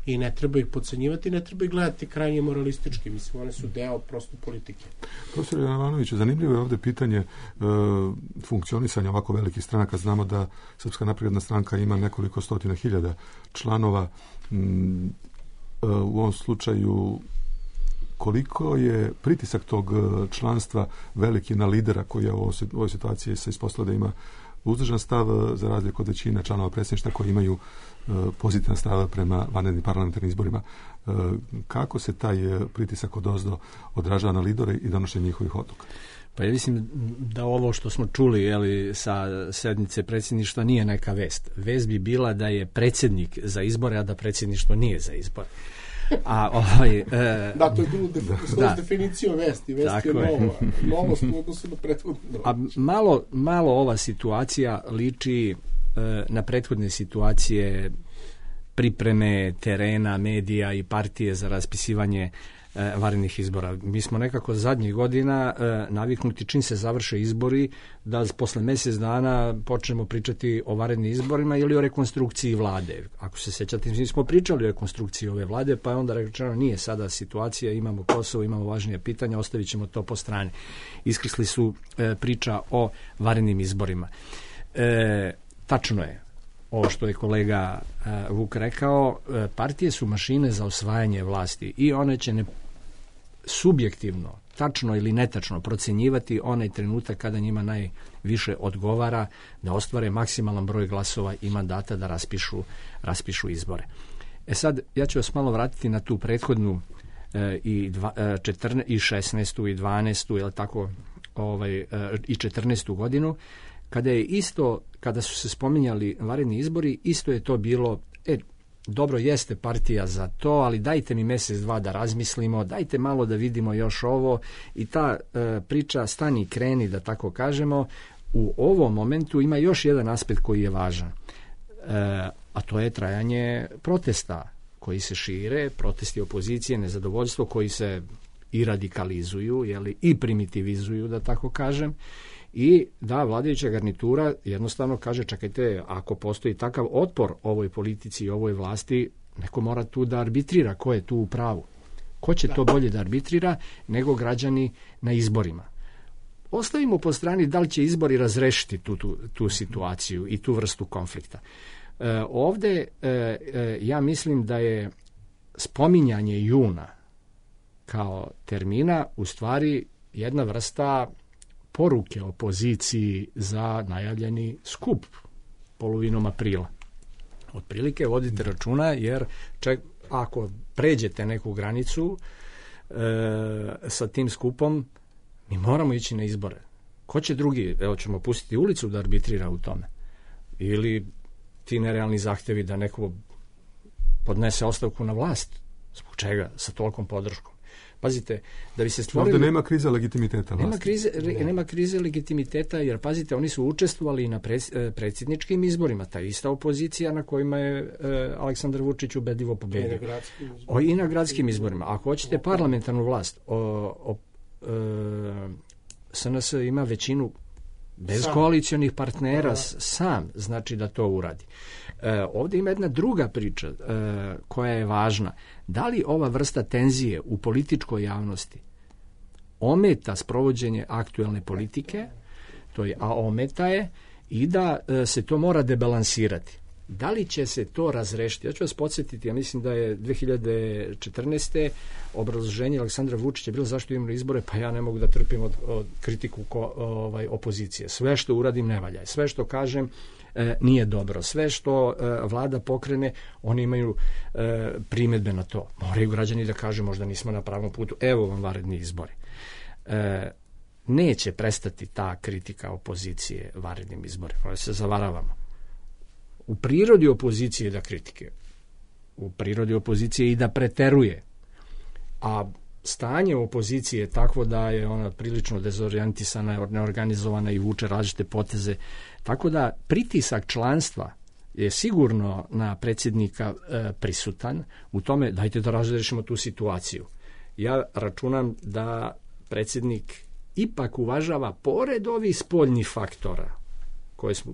i ne treba ih podcenjivati, ne treba ih gledati krajnje moralistički. Mislim, one su deo prosto politike. Profesor Jovanoviću, zanimljivo je ovdje pitanje funkcionisanja ovako velikih stranaka. Znamo da Srpska napredna stranka ima nekoliko stotina hiljada članova. U ovom slučaju koliko je pritisak tog članstva veliki na lidera koji je u ovoj situaciji se ispostavlja da ima uzdržan stav za razliku od većine članova predsjedništva koji imaju pozitivan stav prema vanrednim parlamentarnim izborima. Kako se taj pritisak odozdo odražava na lidere i donošenje njihovih odluka? Pa ja mislim da ovo što smo čuli sa sednice predsjedništva nije neka vest. Vest bi bila da je predsjednik za izbore, a da predsjedništvo nije za izbore. Da, to je bilo definicija vesti. Vest je novost u odnosu na prethodno. A malo ova situacija liči na prethodne situacije pripreme terena, medija i partije za raspisivanje vanrednih izbora. Mi smo nekako zadnjih godina naviknuti čim se završe izbori da posle mjesec dana počnemo pričati o vanrednim izborima ili o rekonstrukciji vlade. Ako se sećate, mi smo pričali o rekonstrukciji ove vlade, pa je onda rečeno nije sada situacija, imamo Kosovo, imamo važnije pitanja, ostavit ćemo to po strani. Iskrsli su priča o vanrednim izborima. Tačno je ovo što je kolega Vuk rekao, partije su mašine za osvajanje vlasti i one će subjektivno, tačno ili netačno procjenjivati onaj trenutak kada njima najviše odgovara da ostvare maksimalan broj glasova i mandata da raspišu izbore. Sad, ja ću vas malo vratiti na tu prethodnu i 16. i 12. ili tako, i 14. godinu, kada su se spominjali vanredni izbori, isto je to bilo, dobro jeste partija za to, ali dajte mi mjesec, dva da razmislimo, dajte malo da vidimo još ovo i ta priča stani kreni, da tako kažemo, u ovom momentu ima još jedan aspekt koji je važan, a to je trajanje protesta koji se šire, protesti opozicije, nezadovoljstvo koji se i radikalizuju, i primitivizuju, da tako kažem, i da vladajuća garnitura jednostavno kaže, čekajte, ako postoji takav otpor ovoj politici i ovoj vlasti, neko mora tu da arbitrira ko je tu u pravu. Ko će to bolje da arbitrira nego građani na izborima. Ostavimo po strani da li će izbori razrešiti tu situaciju i tu vrstu konflikta. Ovdje ja mislim da je spominjanje juna kao termina u stvari jedna vrsta poruke opoziciji za najavljeni skup polovinom aprila. Otprilike vodite računa, jer ako pređete neku granicu sa tim skupom, mi moramo ići na izbore. Ko će drugi? Evo, ćemo pustiti ulicu da arbitrira u tome. Ili ti nerealni zahtjevi da neko podnese ostavku na vlast. Zbog čega? Sa tolikom podrškom. Pazite, da bi se stvorili... Ovdje nema krize legitimiteta. Nema krize legitimiteta, jer pazite, oni su učestvovali na predsjedničkim izborima. Ta ista opozicija na kojima je Aleksandar Vučić ubedljivo pobedio. I na gradskim izborima. Ako hoćete parlamentarnu vlast, SNS ima većinu bez koalicionih partnera sam, znači da to uradi. Ovdje ima jedna druga priča koja je važna. Da li ova vrsta tenzije u političkoj javnosti ometa sprovođenje aktuelne politike, a ometa je, i da se to mora debalansirati. Da li će se to razrešiti? Ja ću vas podsjetiti, ja mislim da je 2014. obrazloženje Aleksandra Vučića bilo zašto imamo izbore, pa ja ne mogu da trpim od kritiku opozicije. Sve što uradim ne valja. Sve što kažem nije dobro. Sve što vlada pokrene, oni imaju primjedbe na to. Moraju građani da kažu možda nismo na pravom putu, evo vam vanredni izbori. Neće prestati ta kritika opozicije vanrednim izborima, ali se zavaravamo. U prirodi opozicije je da kritike, u prirodi opozicije i da preteruje, a stanje u opoziciji je takvo da je ona prilično dezorijentisana, neorganizovana i vuče različite poteze, tako da pritisak članstva je sigurno na predsjednika prisutan u tome dajte da razrešimo tu situaciju. Ja računam da predsjednik ipak uvažava pored ovih spoljnih faktora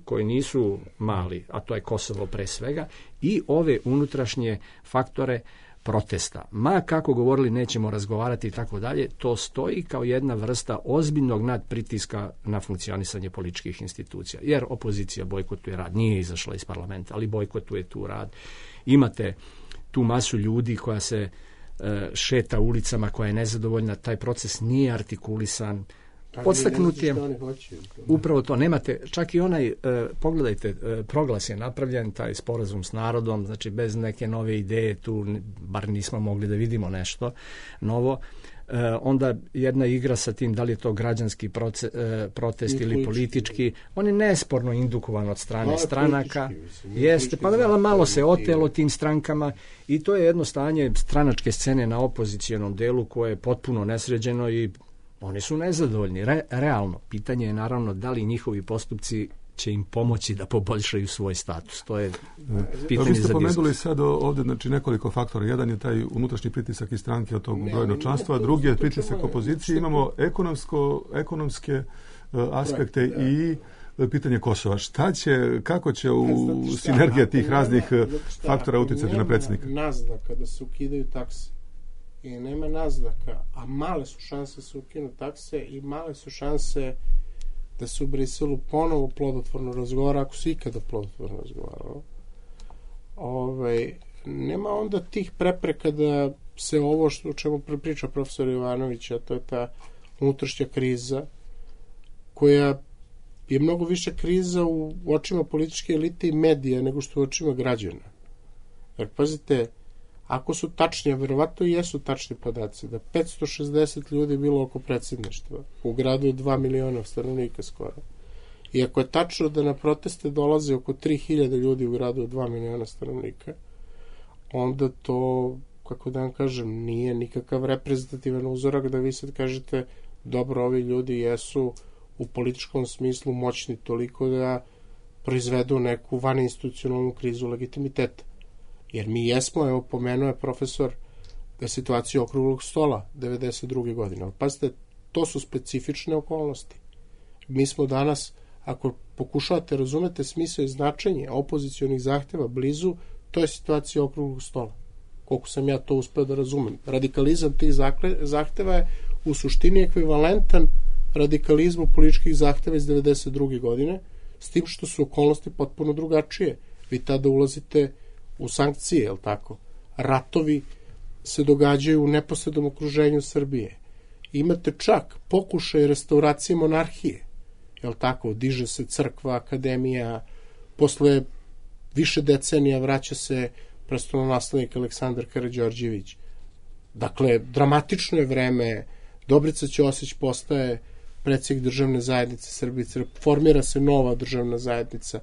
koji nisu mali, a to je Kosovo pre svega, i ove unutrašnje faktore protesta. Ma kako govorili nećemo razgovarati i tako dalje, to stoji kao jedna vrsta ozbiljnog nadpritiska na funkcionisanje političkih institucija. Jer opozicija bojkotuje rad, nije izašla iz parlamenta, ali bojkotuje tu rad. Imate tu masu ljudi koja se šeta ulicama, koja je nezadovoljna, taj proces nije artikulisan, podstaknut je upravo to. Nemate, čak i onaj, pogledajte, proglas je napravljen, taj sporazum s narodom, znači bez neke nove ideje tu, bar nismo mogli da vidimo nešto novo. Onda jedna igra sa tim da li je to građanski protest ili politički, on je nesporno indukovan od strane stranaka, jeste, pa malo se otelo tim strankama i to je jedno stanje stranačke scene na opozicijonom delu koje je potpuno nesređeno i oni su nezadovoljni, realno. Pitanje je naravno da li njihovi postupci će im pomoći da poboljšaju svoj status. To je pitanje za diskusiju. Vi ste pomenuli sad ovdje nekoliko faktora. Jedan je taj unutrašnji pritisak iz stranke od tog brojnog članstva, drugi je pritisak opozicije. Imamo ekonomske aspekte i pitanje Kosova. Kako će sinergija tih raznih faktora utjecati na predsjednika? Naznaka da se ukidaju takse. I nema naznaka, a male su šanse da se ukinu takse i male su šanse da se u Briselu ponovo plodotvorno razgovara, ako se ikada plodotvorno razgovaralo. Nema onda tih prepreka da se ovo o čemu priča profesor Jovanović, a to je ta unutrašnja kriza, koja je mnogo više kriza u očima političke elite i medija nego što u očima građana. Jer pazite, ako su tačni, a verovatno i jesu tačni podaci, da 560 ljudi bilo oko predsjedništva, u gradu je 2 miliona stanovnika skoro. I ako je tačno da na proteste dolaze oko 3000 ljudi u gradu od 2 miliona stanovnika, onda to, kako da vam kažem, nije nikakav reprezentativan uzorak da vi sad kažete dobro, ovi ljudi jesu u političkom smislu moćni toliko da proizvedu neku vaninstitucionalnu krizu legitimiteta. Jer mi jesmo, evo pomenuo je profesor da je situacija okruglog stola 92. godine. Ali pazite, to su specifične okolnosti. Mi smo danas, ako pokušavate razumete smisao i značenje opozicionih zahteva blizu, to je situacija okruglog stola. Koliko sam ja to uspeo da razumem. Radikalizam tih zahteva je u suštini ekvivalentan radikalizmu političkih zahteva iz 92. godine, s tim što su okolnosti potpuno drugačije. Vi tada ulazite u sankcije, je li tako? Ratovi se događaju u neposrednom okruženju Srbije. Imate čak pokušaj restauracije monarhije, je li tako? Diže se crkva, akademija, posle više decenija vraća se prestolonaslednik Aleksandar Karađorđević. Dakle, dramatično je vreme, Dobrica Ćosić postaje predsjednik državne zajednice Srbije, formira se nova državna zajednica.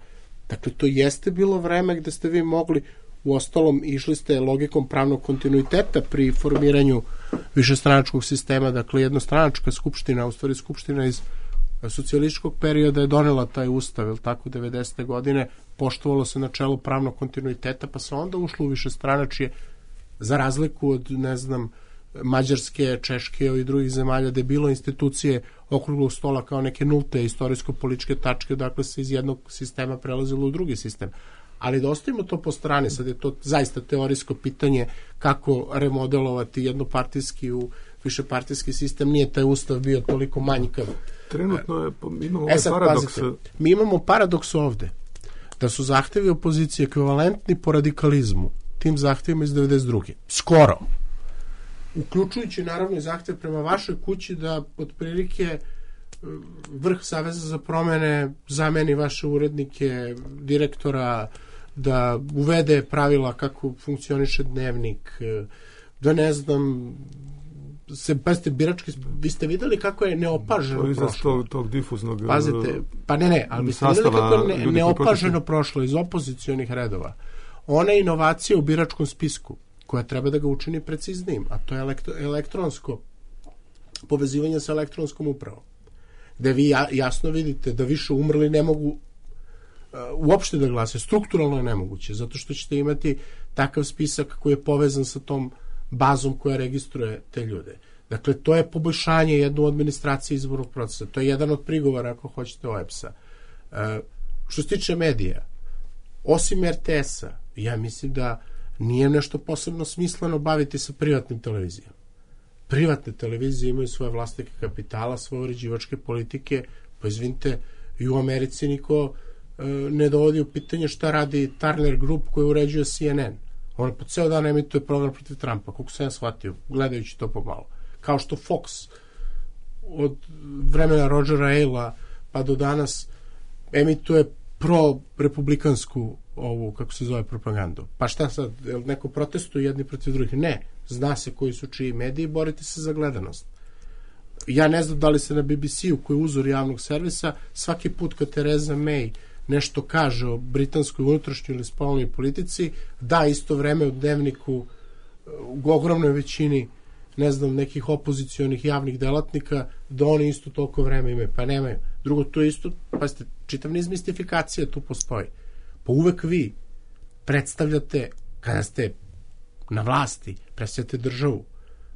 Dakle, to jeste bilo vreme gde ste vi mogli, uostalom išli ste logikom pravnog kontinuiteta pri formiranju višestranačkog sistema, dakle jednostranačka skupština, u stvari skupština iz socijalističkog perioda je donela taj ustav, je tako, 90. godine, poštovalo se načelo pravnog kontinuiteta, pa se onda ušlo u višestranačje, za razliku od, ne znam, Mađarske, Češke i drugih zemalja, gde je bilo institucije okruglog stola kao neke nulte istorijsko-političke tačke, dakle se iz jednog sistema prelazilo u drugi sistem. Ali da ostavimo to po strani, sad je to zaista teorijsko pitanje kako remodelovati jednopartijski u višepartijski sistem, nije taj ustav bio toliko manjkav. Trenutno imamo paradoks. Pazite, mi imamo paradoks ovde, da su zahtevi opozicije ekvivalentni po radikalizmu tim zahtevima iz 92. Skoro. Uključujući naravno i zahtev prema vašoj kući da otprilike vrh Saveza za promene zameni vaše urednike, direktora, da uvede pravila kako funkcioniše dnevnik, da ne znam, pazite, birački, vi ste videli kako je neopaženo prošlo. Tog difuznog Pazite, pa ne, ali vi ste videli kako je neopaženo prošlo iz opozicionih redova. Ona inovacija u biračkom spisku, koja treba da ga učini preciznijim, a to je elektronsko povezivanje sa elektronskom upravom, gde vi jasno vidite da više umrli ne mogu uopšte da glase. Strukturalno je nemoguće, zato što ćete imati takav spisak koji je povezan sa tom bazom koja registruje te ljude. Dakle, to je poboljšanje jednu administracije izbornog procesa. To je jedan od prigovora, ako hoćete, OEBS-a. Što se tiče medija, osim RTS-a, ja mislim da nije nešto posebno smisleno baviti se privatnim televizijama. Privatne televizije imaju svoje vlasnike kapitala, svoje uređivačke politike, pa izvinite, i u Americi niko ne dovodi u pitanje šta radi Turner Group koji uređuje CNN. On po ceo dan emituje program protiv Trumpa, koliko sam ja shvatio, gledajući to pomalo. Kao što Fox od vremena Rogera Ailes-a pa do danas emituje pro-republikansku ovu, kako se zove, propagandu. Pa šta sad, neko protestuje jedni protiv drugih? Ne, zna se koji su čiji mediji, borite se za gledanost. Ja ne znam da li se na BBC-u, koji je uzor javnog servisa, svaki put kad Theresa May nešto kaže o britanskoj unutrašnjoj ili spoljnoj politici, da isto vreme u dnevniku u ogromnoj većini, ne znam, nekih opozicionih javnih delatnika, da oni isto toliko vreme imaju. Pa nemaju. Drugo, to je isto, pa ste, čitav niz mistifikacija tu postoji. Pa uvek vi predstavljate, kada ste na vlasti, predstavljate državu.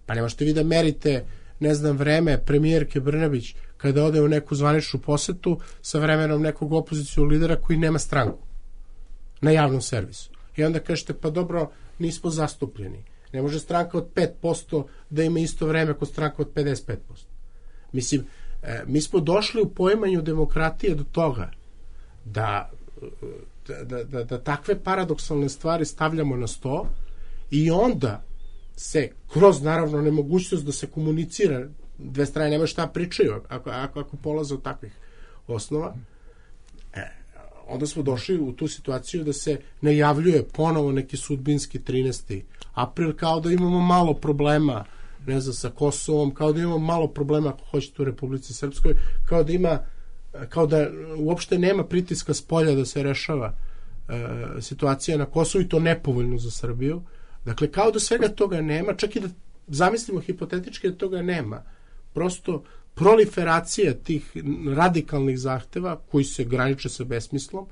Pa ne možete vi da merite, ne znam, vreme premijerke Brnabić kada ode u neku zvaničnu posetu sa vremenom nekog opozicionog lidera koji nema stranku na javnom servisu. I onda kažete, pa dobro, nismo zastupljeni. Ne može stranka od 5% da ima isto vreme kod stranka od 55%. Mislim, mi smo došli u poimanju demokratije do toga da takve paradoksalne stvari stavljamo na sto i onda se kroz, naravno, nemogućnost da se komunicira, dve strane nemaju šta pričaju ako polaze od takvih osnova, onda smo došli u tu situaciju da se najavljuje ponovo neki sudbinski 13. april, kao da imamo malo problema, ne znam, sa Kosovom, kao da imamo malo problema, ako hoćete, u Republici Srpskoj, kao da uopšte nema pritiska s polja da se rešava situacija na Kosovu, i to nepovoljno za Srbiju. Dakle, kao da svega toga nema, čak i da zamislimo hipotetički da toga nema. Prosto proliferacija tih radikalnih zahteva koji se graniče sa besmislom,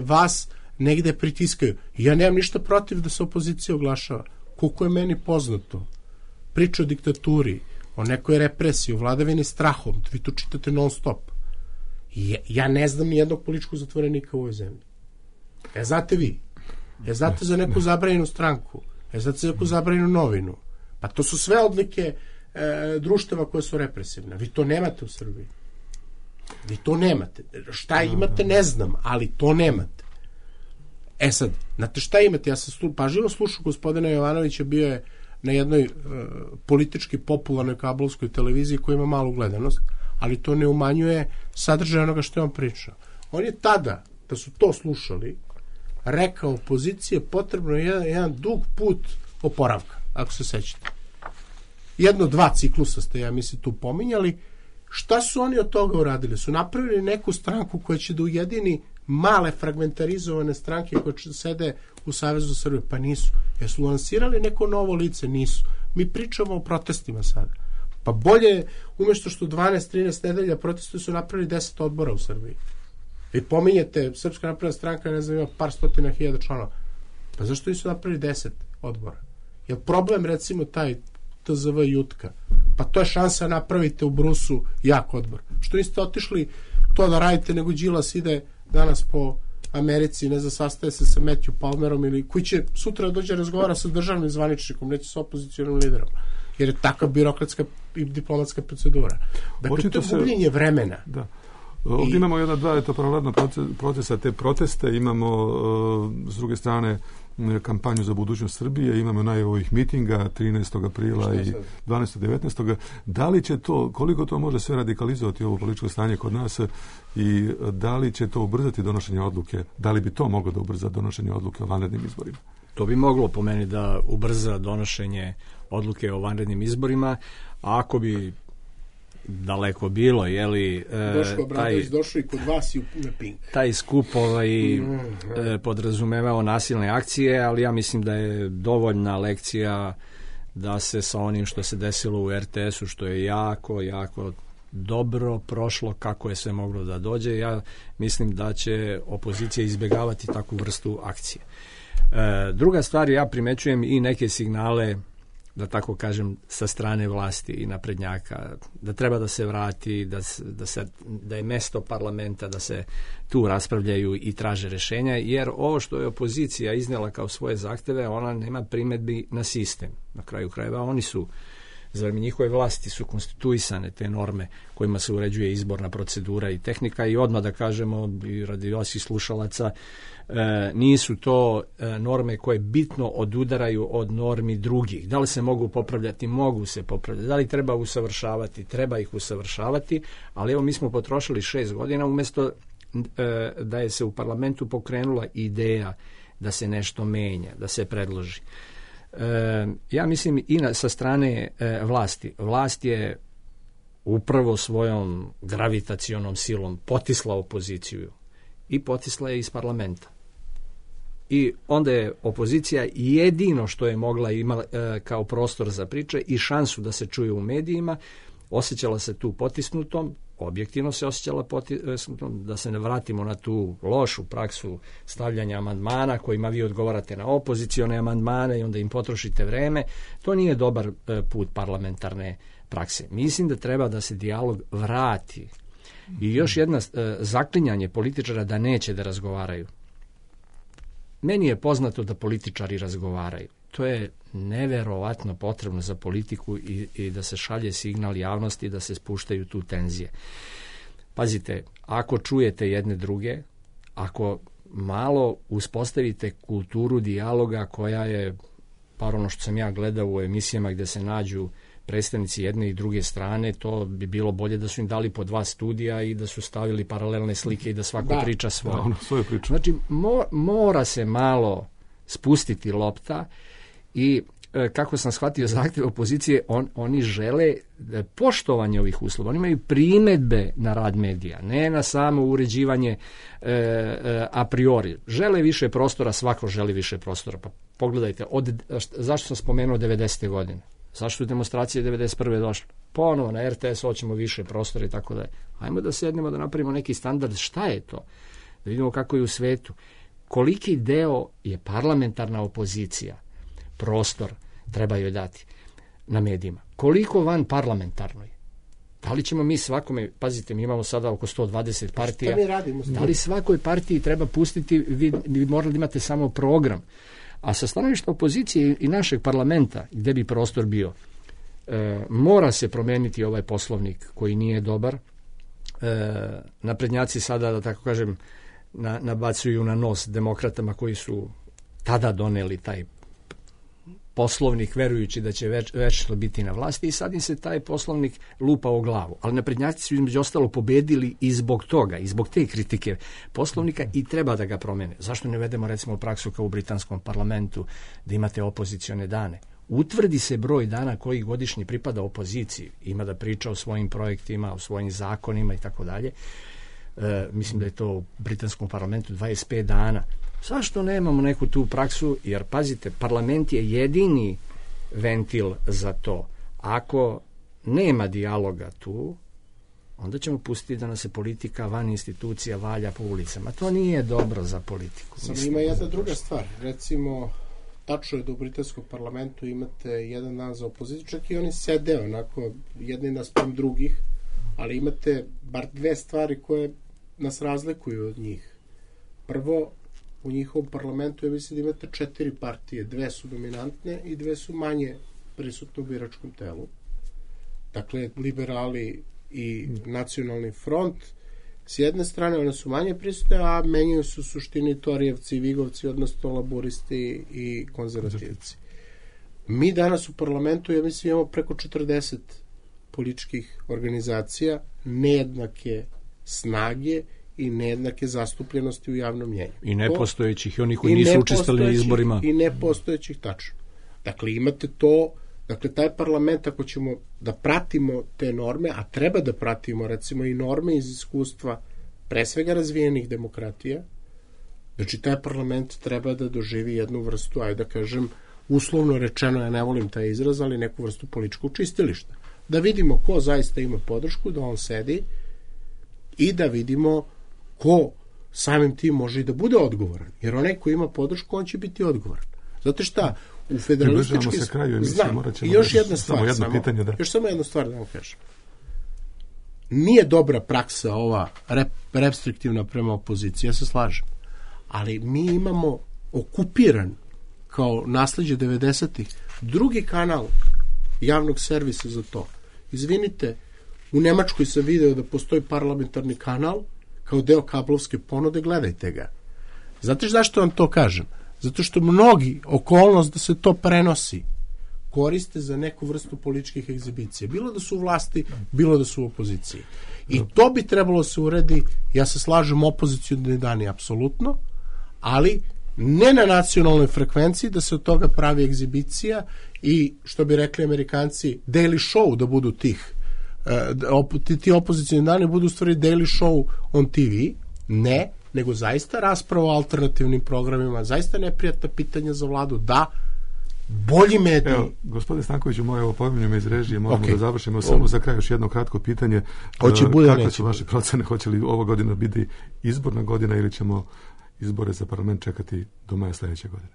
vas negde pritiskaju. Ja nemam ništa protiv da se opozicija oglašava. Koliko je meni poznato, priča o diktaturi, o nekoj represiji, o vladavini strahom, vi to čitate non stop. Ja ne znam ni jednog političkog zatvorenika u ovoj zemlji. Znate vi? Znate za neku zabranjenu stranku? Znate za neku zabranjenu novinu? Pa to su sve odlike društava koje su represivne. Vi to nemate u Srbiji. Vi to nemate. Šta imate, ne znam, ali to nemate. Sad, znate šta imate? Ja sam pažljivo slušao gospodina Jovanovića, bio je na jednoj politički popularnoj kablovskoj televiziji koja ima malu gledanost, ali to ne umanjuje sadržaj onoga što je on pričao. On je tada, da su to slušali, rekao opozicije potrebno je jedan dug put oporavka, ako se sećate. 1-2 ciklusa ste, ja mislim, tu pominjali. Šta su oni od toga uradili? Su napravili neku stranku koja će da ujedini male fragmentarizovane stranke koje sede u Savezu Srbije? Pa nisu. Jesu lansirali neko novo lice? Nisu. Mi pričamo o protestima sada. Pa bolje, umjesto što 12-13 nedelja protestuju, su napravili 10 odbora u Srbiji. Vi pominjete, Srpska napredna stranka, ne znam, ima par stotina hiljada članova. Pa zašto nisu napravili 10 odbora? Je problem, recimo, taj TZV Jutka? Pa to je šansa, napravite u Brusu jak odbor. Što niste otišli to da radite, nego Đilas ide danas po Americi, ne znam, sastaje se sa Matthew Palmerom, ili koji će sutra dođe razgovara sa državnim zvaničnikom, neće sa opozicionim liderom, jer je takva birokratska i diplomatska procedura. Dakle, to je gubljenje vremena. Da. Ovdje imamo dva paralelna procesa, te proteste, imamo s druge strane kampanju za budućnost Srbije, imamo najavih mitinga 13. aprila i 12. 19. Da li će to, koliko to može sve radikalizovati ovo političko stanje kod nas i da li će to ubrzati donošenje odluke, da li bi to moglo da ubrza donošenje odluke o vanrednim izborima? To bi moglo po meni da ubrza donošenje odluke o vanrednim izborima, a ako bi daleko bilo, Boško Obradović došao i kod vas i na Pink. Taj skup podrazumevao nasilne akcije, ali ja mislim da je dovoljna lekcija da se sa onim što se desilo u RTS-u, što je jako, jako dobro prošlo, kako je sve moglo da dođe. Ja mislim da će opozicija izbjegavati takvu vrstu akcije. Druga stvar, ja primećujem i neke signale, da tako kažem, sa strane vlasti i naprednjaka, da treba da se vrati, da je mesto parlamenta, da se tu raspravljaju i traže rešenja, jer ovo što je opozicija iznijela kao svoje zahteve, ona nema primedbi na sistem. Na kraju krajeva oni su, za vreme njihove vlasti su konstituisane te norme kojima se uređuje izborna procedura i tehnika, i odmah da kažemo, i radi vaših slušalaca, nisu to norme koje bitno odudaraju od normi drugih. Da li se mogu popravljati? Mogu se popravljati. Da li treba usavršavati? Treba ih usavršavati, ali evo mi smo potrošili 6 godina umjesto da je se u parlamentu pokrenula ideja da se nešto menja, da se predloži. Ja mislim i sa strane vlasti. Vlast je upravo svojom gravitacionom silom potisla opoziciju i potisla je iz parlamenta. I onda je opozicija jedino što je mogla imala kao prostor za priče i šansu da se čuje u medijima, osjećala se tu potisnutom, objektivno se osjećala potisnutom, da se ne vratimo na tu lošu praksu stavljanja amandmana kojima vi odgovarate na opozicione amandmane i onda im potrošite vreme. To nije dobar put parlamentarne prakse. Mislim da treba da se dijalog vrati. I još jedna zaklinjanje političara da neće da razgovaraju. Meni je poznato da političari razgovaraju. To je neverovatno potrebno za politiku i da se šalje signal javnosti, da se spuštaju tu tenzije. Pazite, ako čujete jedne druge, ako malo uspostavite kulturu dijaloga koja je, par ono što sam ja gledao u emisijama gdje se nađu predstavnici jedne i druge strane, to bi bilo bolje da su im dali po 2 studija i da su stavili paralelne slike i da svako priča svoje. Znači, mora se malo spustiti lopta i kako sam shvatio zahtjev opozicije, oni žele poštovanje ovih uslova. Oni imaju primedbe na rad medija, ne na samo uređivanje a priori. Žele više prostora, svako želi više prostora. Pa pogledajte, zašto sam spomenuo 90. godine? Zašto su demonstracije 91. došle? Ponovo na RTS hoćemo više prostora i tako da je. Ajmo da sednemo da napravimo neki standard. Šta je to? Da vidimo kako je u svetu. Koliki deo je parlamentarna opozicija? Prostor treba joj dati na medijima. Koliko van parlamentarnoj? Da li ćemo mi svakome, pazite, mi imamo sada oko 120 partija. Šta mi radimo? Da li svakoj partiji treba pustiti, vi morali da imate samo program. A sa stanovišta opozicije i našeg parlamenta, gdje bi prostor bio, mora se promijeniti ovaj poslovnik koji nije dobar. Naprednjaci sada, da tako kažem, nabacuju na nos demokratama koji su tada doneli taj poslovnik verujući da će večno biti na vlasti i sad im se taj poslovnik lupa o glavu. Ali naprednjaci su između ostalo pobedili i zbog toga, i zbog te kritike poslovnika i treba da ga promene. Zašto ne vedemo recimo praksu kao u britanskom parlamentu da imate opozicione dane? Utvrdi se broj dana koji godišnji pripada opoziciji. Ima da priča o svojim projektima, o svojim zakonima i tako dalje. Mislim da je to u britanskom parlamentu 25 dana. Zašto nemamo neku tu praksu? Jer, pazite, parlament je jedini ventil za to. Ako nema dijaloga tu, onda ćemo pustiti da nas se politika van institucija valja po ulicama. To nije dobro za politiku. Samo ima jedna druga stvar. Recimo, tačno je da u britanskom parlamentu imate jedan dan za opoziciju, čak i oni sede onako jedni naspram drugih, ali imate bar 2 stvari koje nas razlikuju od njih. Prvo, u njihovom parlamentu ja mislim da imate 4 partije, 2 su dominantne i 2 su manje prisutne u biračkom telu. Dakle, liberali i nacionalni front S jedne strane one su manje prisutne, a menjaju se u suštini Torijevci i Vigovci, odnosno laburisti i konzervativci. Mi danas u parlamentu, ja mislim, imamo preko 40 političkih organizacija, nejednake snage i nejednake zastupljenosti u javnom mjenju. I nepostojećih, i oni koji nisu učestvovali na izborima. I nepostojećih, tačno. Dakle, imate to, dakle, taj parlament, ako ćemo da pratimo te norme, a treba da pratimo, recimo, i norme iz iskustva pre svega razvijenih demokratija, znači, taj parlament treba da doživi jednu vrstu, ajde da kažem, uslovno rečeno, ja ne volim taj izraz, ali neku vrstu političkog čistilišta. Da vidimo ko zaista ima podršku, da on sedi i da vidimo ko samim tim može i da bude odgovoran. Jer onaj ko ima podršku, on će biti odgovoran. Zato šta, u federalističkim... Znam, i još jedna stvar, još samo jednu stvar da vam kažem. Nije dobra praksa ova restriktivna prema opoziciji, ja se slažem. Ali mi imamo okupiran kao nasleđe 90-ih drugi kanal javnog servisa za to. Izvinite, u Nemačkoj sam video da postoji parlamentarni kanal kao deo kablovske ponude, gledajte ga. Znate zašto vam to kažem? Zato što mnogi okolnost da se to prenosi koriste za neku vrstu političkih egzibicija. Bilo da su u vlasti, bilo da su u opoziciji. I to bi trebalo se uredi, ja se slažem, opozicijni dani apsolutno, ali ne na nacionalnoj frekvenciji da se od toga pravi egzibicija i, što bi rekli Amerikanci, daily show da budu tih. Ti opozicijni dani budu u stvari daily show on TV. Ne, nego zaista rasprava o alternativnim programima, zaista neprijatna pitanja za vladu, da, bolji mediji. Evo, gospodine Stankoviću, moje opominju me iz režije, moramo da završimo. Samo za kraj još jedno kratko pitanje. Kakve su vaše procene? Hoće li ova godina biti izborna godina ili ćemo izbore za parlament čekati do maja sledeće godine?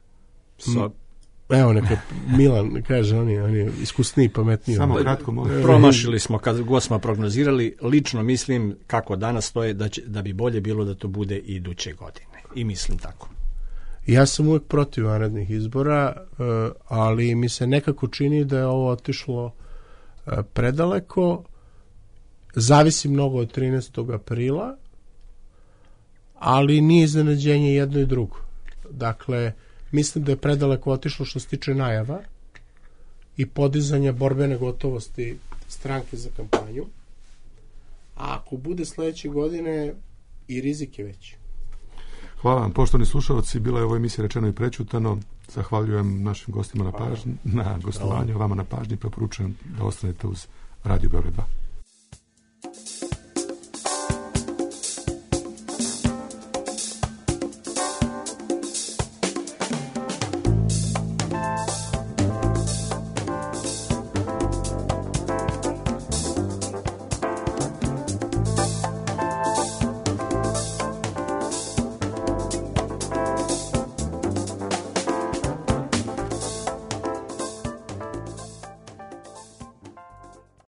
Evo, neka Milan kaže, on je iskusniji, pametniji. Samo kratko, molim. Promašili smo kad god smo prognozirali. Lično mislim, kako danas stoje, da bi bolje bilo da to bude i iduće godine. I mislim tako. Ja sam uvek protiv vanrednih izbora, ali mi se nekako čini da je ovo otišlo predaleko. Zavisi mnogo od 13. aprila, ali nije iznenađenje jedno i drugo. Dakle, mislim da je predaleko otišlo što se tiče najava i podizanja borbene gotovosti stranke za kampanju. A ako bude sledeće godine, i rizik je veći. Hvala vam, poštovani slušalci, bila je ovo emisija Rečeno i prećutano. Zahvaljujem našim gostima na gostovanju, vama na pažnji, preporučujem da ostanete uz Radio Beograd 2.